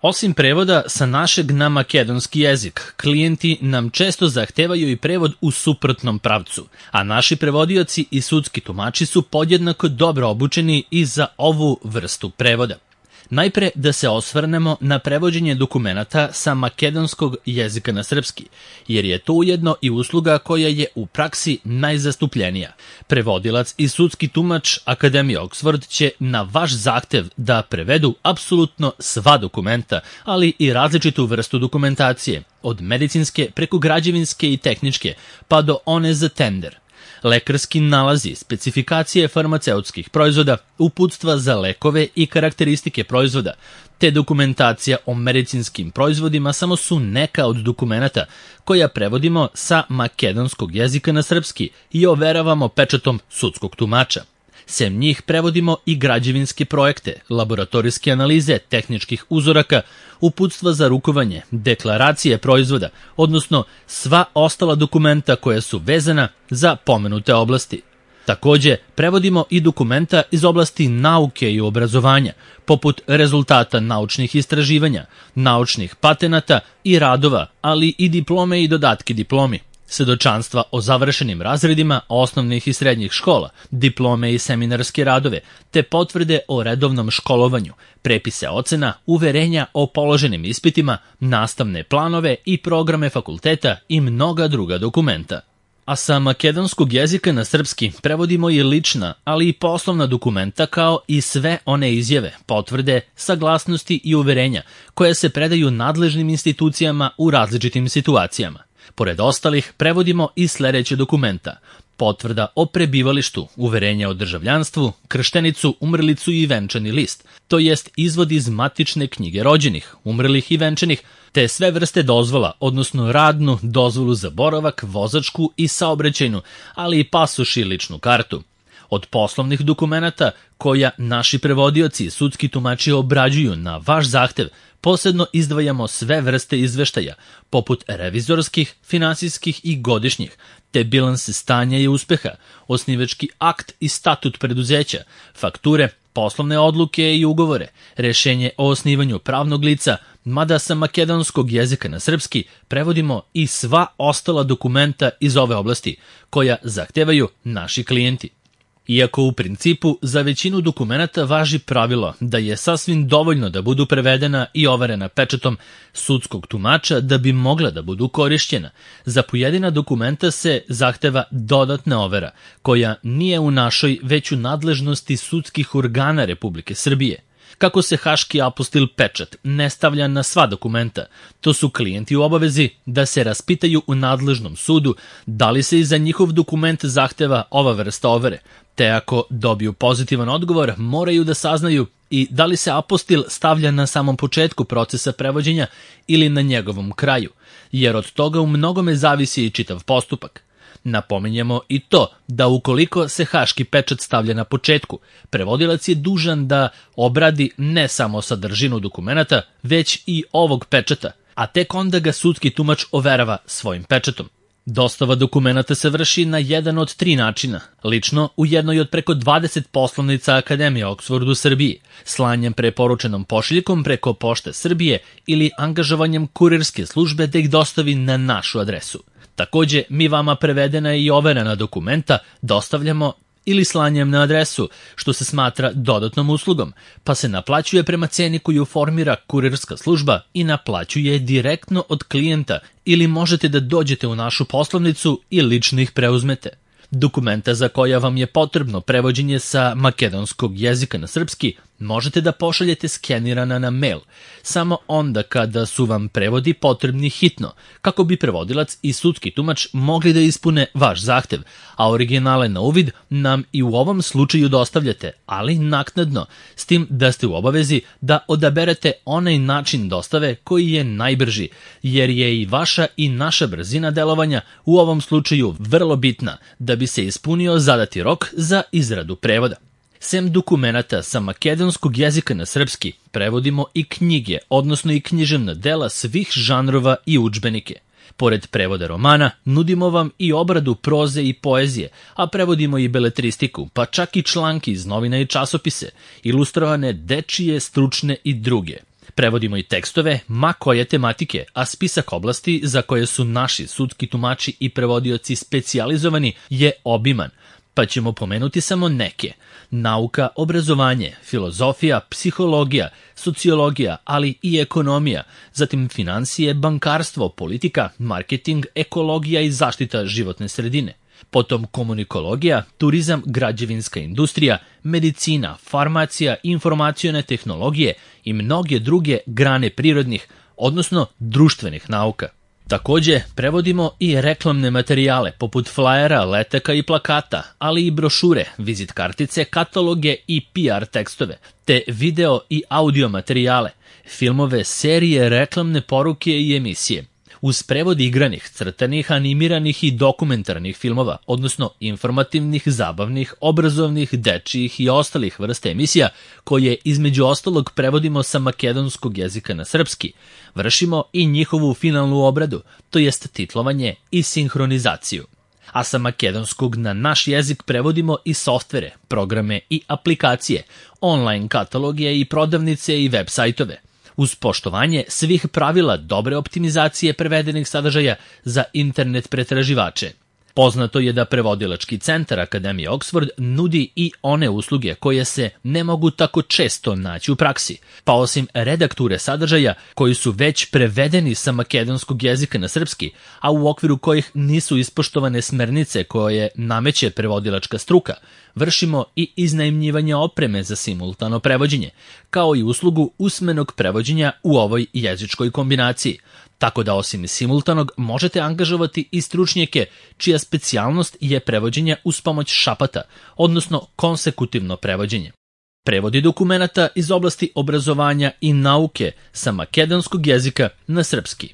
Osim prevoda sa našeg na makedonski jezik, klijenti nam često zahtevaju i prevod u suprotnom pravcu, a naši prevodioci i sudski tumači su podjednako dobro obučeni i za ovu vrstu prevoda. Najpre da se osvrnemo na prevođenje dokumenata sa makedonskog jezika na srpski, jer je to ujedno i usluga koja je u praksi najzastupljenija. Prevodilac i sudski tumač Akademije Oxford će na vaš zahtev da prevedu apsolutno sva dokumenta, ali i različitu vrstu dokumentacije, od medicinske preko građevinske i tehničke, pa do one za tender. Lekarski nalazi, specifikacije farmaceutskih proizvoda, uputstva za lekove i karakteristike proizvoda, te dokumentacija o medicinskim proizvodima samo su neka od dokumenata koja prevodimo sa makedonskog jezika na srpski i overavamo pečatom sudskog tumača. Sem njih prevodimo i građevinske projekte, laboratorijske analize tehničkih uzoraka, uputstva za rukovanje, deklaracije proizvoda, odnosno sva ostala dokumenta koja su vezana za pomenute oblasti. Takođe, prevodimo i dokumenta iz oblasti nauke i obrazovanja, poput rezultata naučnih istraživanja, naučnih patenata i radova, ali i diplome i dodatke diplomi, svedočanstva o završenim razredima osnovnih i srednjih škola, diplome i seminarske radove, te potvrde o redovnom školovanju, prepise ocena, uverenja o položenim ispitima, nastavne planove i programe fakulteta i mnoga druga dokumenta. A sa makedonskog jezika na srpski prevodimo i lična, ali i poslovna dokumenta kao i sve one izjave, potvrde, saglasnosti i uverenja koje se predaju nadležnim institucijama u različitim situacijama. Pored ostalih, prevodimo i sledeće dokumenta: potvrda o prebivalištu, uverenja o državljanstvu, krštenicu, umrlicu i venčani list, to jest izvod iz matične knjige rođenih, umrlih i venčanih, te sve vrste dozvola, odnosno radnu, dozvolu za boravak, vozačku i saobraćajnu, ali i pasoš i ličnu kartu. Od poslovnih dokumenata koja naši prevodioci i sudski tumači obrađuju na vaš zahtev, posebno izdvajamo sve vrste izveštaja, poput revizorskih, finansijskih i godišnjih, te bilanse stanja i uspeha, osnivački akt i statut preduzeća, fakture, poslovne odluke i ugovore, rešenje o osnivanju pravnog lica, mada sa makedonskog jezika na srpski prevodimo i sva ostala dokumenta iz ove oblasti koja zahtevaju naši klijenti. Iako u principu za većinu dokumenata važi pravilo da je sasvim dovoljno da budu prevedena i overena pečatom sudskog tumača da bi mogla da budu korišćena, za pojedina dokumenta se zahteva dodatna overa, koja nije u našoj već u nadležnosti sudskih organa Republike Srbije. Kako se haški apostil pečat ne stavlja na sva dokumenta, to su klijenti u obavezi da se raspitaju u nadležnom sudu da li se i za njihov dokument zahteva ova vrsta overe, te ako dobiju pozitivan odgovor moraju da saznaju i da li se apostil stavlja na samom početku procesa prevođenja ili na njegovom kraju, jer od toga u mnogome zavisi i čitav postupak. Napominjemo i to da ukoliko se haški pečat stavlja na početku, prevodilac je dužan da obradi ne samo sadržinu dokumenata, već i ovog pečata, a tek onda ga sudski tumač overava svojim pečatom. Dostava dokumenata se vrši na jedan od 3 načina, lično u jednoj od preko 20 poslovnica Akademije Oxford u Srbiji, slanjem preporučenom pošiljkom preko Pošte Srbije ili angažovanjem kurirske službe da ih dostavi na našu adresu. Takođe, mi vama prevedena i overena dokumenta dostavljamo ili slanjem na adresu, što se smatra dodatnom uslugom, pa se naplaćuje prema ceni koju formira kurirska služba i naplaćuje direktno od klijenta ili možete da dođete u našu poslovnicu i lično ih preuzmete. Dokumenta za koja vam je potrebno prevođenje sa makedonskog jezika na srpski možete da pošaljete skenirana na mail, samo onda kada su vam prevodi potrebni hitno, kako bi prevodilac i sudski tumač mogli da ispune vaš zahtev, a originale na uvid nam i u ovom slučaju dostavljate, ali naknadno, s tim da ste u obavezi da odaberete onaj način dostave koji je najbrži, jer je i vaša i naša brzina delovanja u ovom slučaju vrlo bitna da bi se ispunio zadati rok za izradu prevoda. Sem dokumenata sa makedonskog jezika na srpski, prevodimo i knjige, odnosno i književna dela svih žanrova i udžbenike. Pored prevoda romana, nudimo vam i obradu proze i poezije, a prevodimo i beletristiku, pa čak i članke iz novina i časopise, ilustrovane, dečije, stručne i druge. Prevodimo i tekstove, ma koje tematike, a spisak oblasti za koje su naši sudski tumači i prevodioci specijalizovani je obiman, pa ćemo pomenuti samo neke. Nauka, obrazovanje, filozofija, psihologija, sociologija, ali i ekonomija, zatim finansije, bankarstvo, politika, marketing, ekologija i zaštita životne sredine. Potom komunikologija, turizam, građevinska industrija, medicina, farmacija, informacione tehnologije i mnoge druge grane prirodnih, odnosno društvenih nauka. Takođe, prevodimo i reklamne materijale poput flajera, letaka i plakata, ali i brošure, vizit kartice, kataloge i PR tekstove, te video i audio materijale, filmove, serije, reklamne poruke i emisije. Uz prevod igranih, crtanih, animiranih i dokumentarnih filmova, odnosno informativnih, zabavnih, obrazovnih, dečijih i ostalih vrsta emisija, koje između ostalog prevodimo sa makedonskog jezika na srpski, vršimo i njihovu finalnu obradu, to jest titlovanje i sinhronizaciju. A sa makedonskog na naš jezik prevodimo i softvere, programe i aplikacije, online kataloge i prodavnice i web sajtove, uz poštovanje svih pravila dobre optimizacije prevedenih sadržaja za internet pretraživače. Poznato je da prevodilački centar Akademije Oxford nudi i one usluge koje se ne mogu tako često naći u praksi, pa osim redakture sadržaja koji su već prevedeni sa makedonskog jezika na srpski, a u okviru kojih nisu ispoštovane smernice koje nameće prevodilačka struka, vršimo i iznajmljivanje opreme za simultano prevođenje, kao i uslugu usmenog prevođenja u ovoj jezičkoj kombinaciji, tako da osim simultanog možete angažovati i stručnjake čija specijalnost je prevođenje uz pomoć šapata, odnosno konsekutivno prevođenje. Prevodi dokumenata iz oblasti obrazovanja i nauke sa makedonskog jezika na srpski.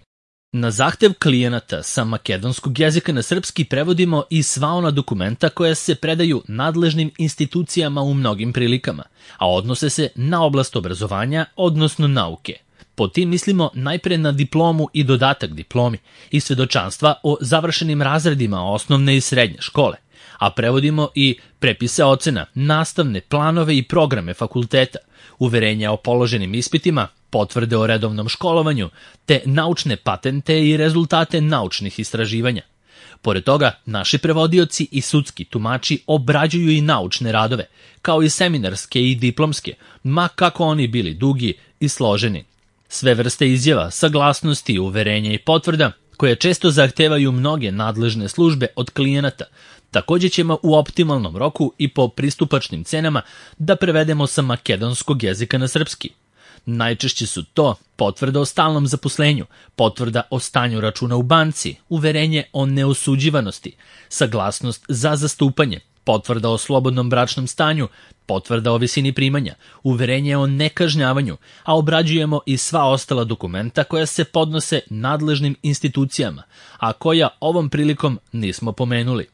Na zahtev klijenata sa makedonskog jezika na srpski prevodimo i sva ona dokumenta koja se predaju nadležnim institucijama u mnogim prilikama, a odnose se na oblast obrazovanja, odnosno nauke. Pod tim mislimo najpre na diplomu i dodatak diplomi i svedočanstva o završenim razredima osnovne i srednje škole, a prevodimo i prepise ocena, nastavne planove i programe fakulteta, uverenja o položenim ispitima, potvrde o redovnom školovanju, te naučne patente i rezultate naučnih istraživanja. Pored toga, naši prevodioci i sudski tumači obrađuju i naučne radove, kao i seminarske i diplomske, ma kako oni bili dugi i složeni. Sve vrste izjava, saglasnosti, uverenja i potvrda, koje često zahtevaju mnoge nadležne službe od klijenata, takođe ćemo u optimalnom roku i po pristupačnim cenama da prevedemo sa makedonskog jezika na srpski. Najčešće su to potvrda o stalnom zaposlenju, potvrda o stanju računa u banci, uverenje o neosuđivanosti, saglasnost za zastupanje, potvrda o slobodnom bračnom stanju, potvrda o visini primanja, uverenje o nekažnjavanju, a obrađujemo i sva ostala dokumenta koja se podnose nadležnim institucijama, a koja ovom prilikom nismo pomenuli.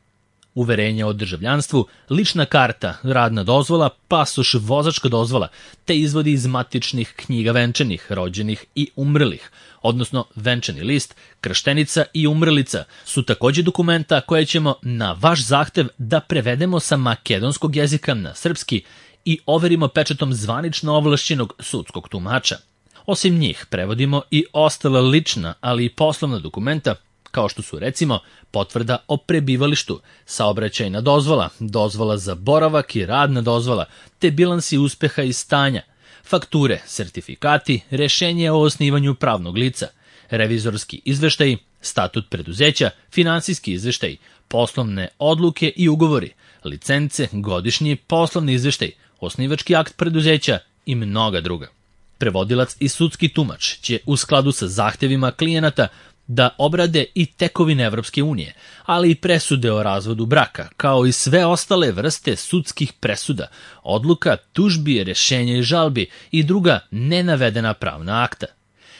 Uverenje o državljanstvu, lična karta, radna dozvola, pasoš, vozačka dozvola, te izvodi iz matičnih knjiga venčanih, rođenih i umrlih, odnosno venčani list, krštenica i umrlica su takođe dokumenta koje ćemo na vaš zahtev da prevedemo sa makedonskog jezika na srpski i overimo pečatom zvanično ovlašćenog sudskog tumača. Osim njih prevodimo i ostala lična, ali i poslovna dokumenta, kao što su recimo potvrda o prebivalištu, saobraćajna dozvola, dozvola za boravak i radna dozvola, te bilansi uspeha i stanja, fakture, sertifikati, rešenje o osnivanju pravnog lica, revizorski izveštaj, statut preduzeća, finansijski izveštaj, poslovne odluke i ugovori, licence, godišnji poslovni izveštaj, osnivački akt preduzeća i mnoga druga. Prevodilac i sudski tumač će u skladu sa zahtevima klijenata da obrade i tekovine Evropske unije, ali i presude o razvodu braka, kao i sve ostale vrste sudskih presuda, odluka, tužbi, rešenja i žalbi i druga nenavedena pravna akta.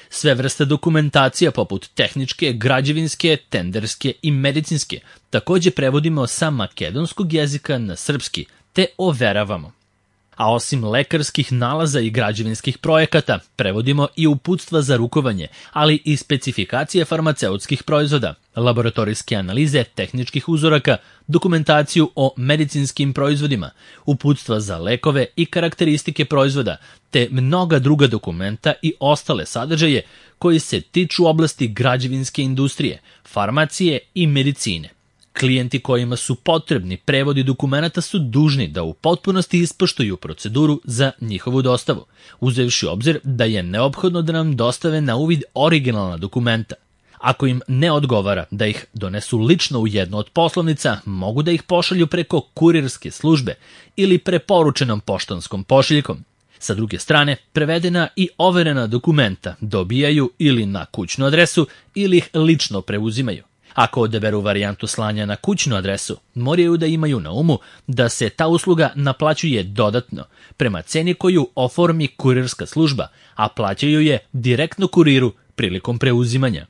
Sve vrste dokumentacija poput tehničke, građevinske, tenderske i medicinske takođe prevodimo sa makedonskog jezika na srpski, te overavamo. A osim lekarskih nalaza i građevinskih projekata, prevodimo i uputstva za rukovanje, ali i specifikacije farmaceutskih proizvoda, laboratorijske analize tehničkih uzoraka, dokumentaciju o medicinskim proizvodima, uputstva za lekove i karakteristike proizvoda, te mnoga druga dokumenta i ostale sadržaje koji se tiču oblasti građevinske industrije, farmacije i medicine. Klijenti kojima su potrebni prevodi dokumenata su dužni da u potpunosti ispoštuju proceduru za njihovu dostavu, uzevši u obzir da je neophodno da nam dostave na uvid originalna dokumenta. Ako im ne odgovara da ih donesu lično u jednu od poslovnica, mogu da ih pošalju preko kurirske službe ili preporučenom poštanskom pošiljkom. Sa druge strane, prevedena i overena dokumenta dobijaju ili na kućnu adresu ili ih lično preuzimaju. Ako odaberu varijantu slanja na kućnu adresu, moraju da imaju na umu da se ta usluga naplaćuje dodatno, prema ceni koju oformi kurirska služba, a plaćaju je direktno kuriru prilikom preuzimanja.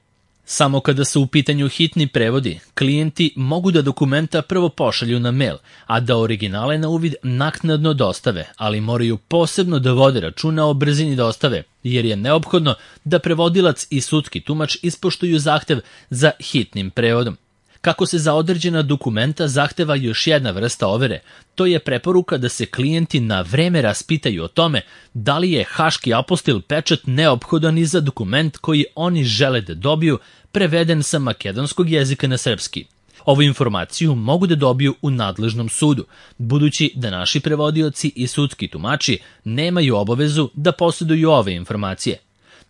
Samo kada su u pitanju hitni prevodi, klijenti mogu da dokumenta prvo pošalju na mail, a da originale na uvid naknadno dostave, ali moraju posebno da vode računa o brzini dostave, jer je neophodno da prevodilac i sudski tumač ispoštuju zahtev za hitnim prevodom. Kako se za određena dokumenta zahteva još jedna vrsta overe, to je preporuka da se klijenti na vreme raspitaju o tome da li je haški apostil pečat neophodan i za dokument koji oni žele da dobiju preveden sa makedonskog jezika na srpski. Ovu informaciju mogu da dobiju u nadležnom sudu, budući da naši prevodioci i sudski tumači nemaju obavezu da posjeduju ove informacije.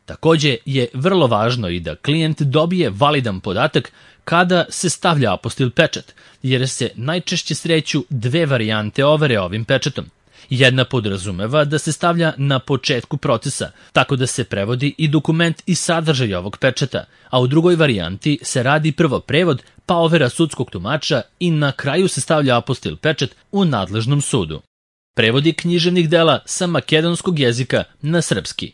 Takođe je vrlo važno i da klijent dobije validan podatak kada se stavlja apostil pečat, jer se najčešće sreću dve varijante overe ovim pečatom. Jedna podrazumeva da se stavlja na početku procesa, tako da se prevodi i dokument i sadržaj ovog pečata, a u drugoj varijanti se radi prvo prevod, pa overa sudskog tumača i na kraju se stavlja apostil pečat u nadležnom sudu. Prevodi književnih dela sa makedonskog jezika na srpski.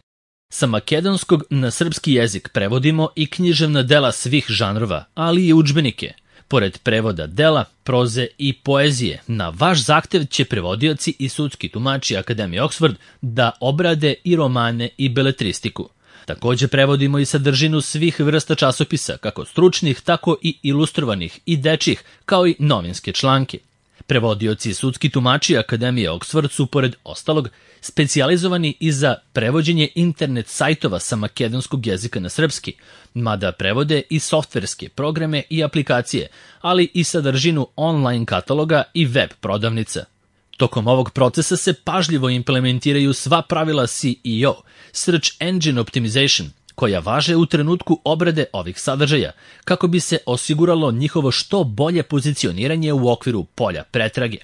Sa makedonskog na srpski jezik prevodimo i književna dela svih žanrova, ali i udžbenike. Pored prevoda dela, proze i poezije, na vaš zahtev će prevodioci i sudski tumači Akademije Oxford da obrade i romane i beletristiku. Takođe prevodimo i sadržinu svih vrsta časopisa, kako stručnih, tako i ilustrovanih i dečjih, kao i novinske članke. Prevodioci i sudski tumači Akademije Oxford su, pored ostalog, specijalizovani i za prevođenje internet sajtova sa makedonskog jezika na srpski, mada prevode i softverske programe i aplikacije, ali i sadržinu online kataloga i web prodavnica. Tokom ovog procesa se pažljivo implementiraju sva pravila SEO, Search Engine Optimization, koja važe u trenutku obrade ovih sadržaja, kako bi se osiguralo njihovo što bolje pozicioniranje u okviru polja pretrage.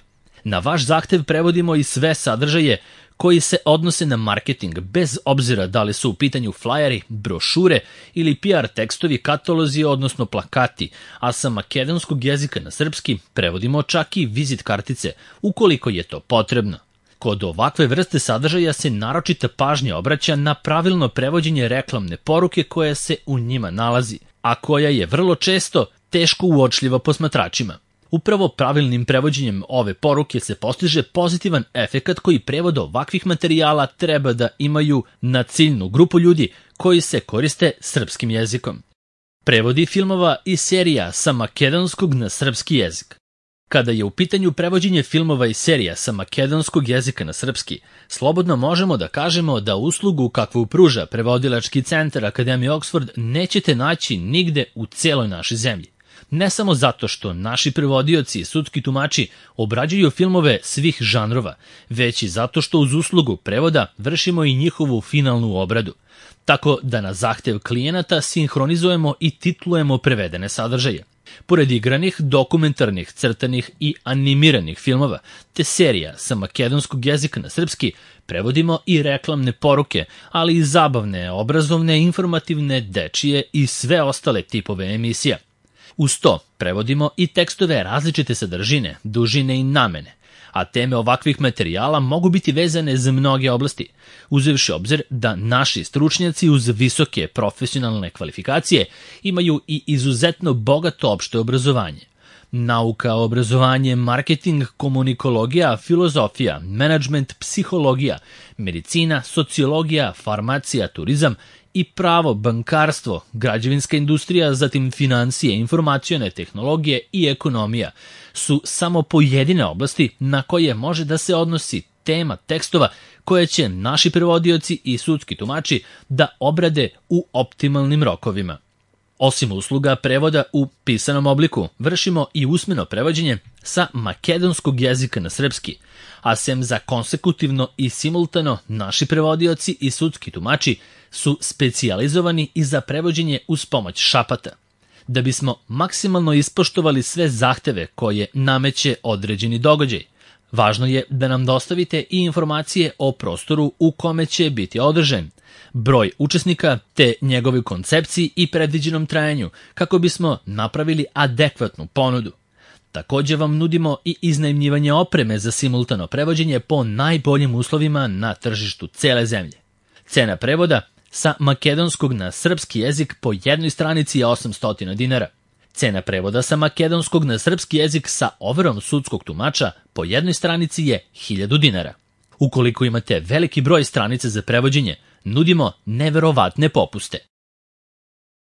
Na vaš zahtev prevodimo i sve sadržaje koji se odnose na marketing, bez obzira da li su u pitanju flyeri, brošure ili PR tekstovi, katalozi, odnosno plakati, a sa makedonskog jezika na srpski prevodimo čak i vizit kartice, ukoliko je to potrebno. Kod ovakve vrste sadržaja se naročita pažnja obraća na pravilno prevođenje reklamne poruke koja se u njima nalazi, a koja je vrlo često teško uočljiva posmatračima. Upravo pravilnim prevođenjem ove poruke se postiže pozitivan efekat koji prevod ovakvih materijala treba da imaju na ciljnu grupu ljudi koji se koriste srpskim jezikom. Prevodi filmova i serija sa makedonskog na srpski jezik. Kada je u pitanju prevođenje filmova i serija sa makedonskog jezika na srpski, slobodno možemo da kažemo da uslugu kakvu pruža prevodilački centar Akademije Oxford nećete naći nigde u celoj našoj zemlji. Ne samo zato što naši prevodioci i sudski tumači obrađuju filmove svih žanrova, već i zato što uz uslugu prevoda vršimo i njihovu finalnu obradu, tako da na zahtev klijenata sinhronizujemo i titlujemo prevedene sadržaje. Pored igranih, dokumentarnih, crtanih i animiranih filmova, te serija sa makedonskog jezika na srpski, prevodimo i reklamne poruke, ali i zabavne, obrazovne, informativne, dečije i sve ostale tipove emisija. Uz to prevodimo i tekstove različite sadržine, dužine i namene, a teme ovakvih materijala mogu biti vezane za mnoge oblasti, uzevši obzir da naši stručnjaci uz visoke profesionalne kvalifikacije imaju i izuzetno bogato opšte obrazovanje. Nauka, obrazovanje, marketing, komunikologija, filozofija, menadžment, psihologija, medicina, sociologija, farmacija, turizam i pravo, bankarstvo, građevinska industrija, zatim financije, informacione tehnologije i ekonomija su samo pojedine oblasti na koje može da se odnosi tema tekstova koje će naši prevodioci i sudski tumači da obrade u optimalnim rokovima. Osim usluga prevoda u pisanom obliku, vršimo i usmeno prevođenje sa makedonskog jezika na srpski, a sem za konsekutivno i simultano, naši prevodioci i sudski tumači su specijalizovani i za prevođenje uz pomoć šapata. Da bismo maksimalno ispoštovali sve zahteve koje nameće određeni događaj, važno je da nam dostavite i informacije o prostoru u kome će biti održan, broj učesnika te njegovoj koncepciji i predviđenom trajanju kako bismo napravili adekvatnu ponudu. Također vam nudimo i iznajmljivanje opreme za simultano prevođenje po najboljim uslovima na tržištu cele zemlje. Cena prevoda sa makedonskog na srpski jezik po jednoj stranici je 800 dinara. Cena prevoda sa makedonskog na srpski jezik sa overom sudskog tumača po jednoj stranici je 1000 dinara. Ukoliko imate veliki broj stranica za prevođenje, nudimo neverovatne popuste.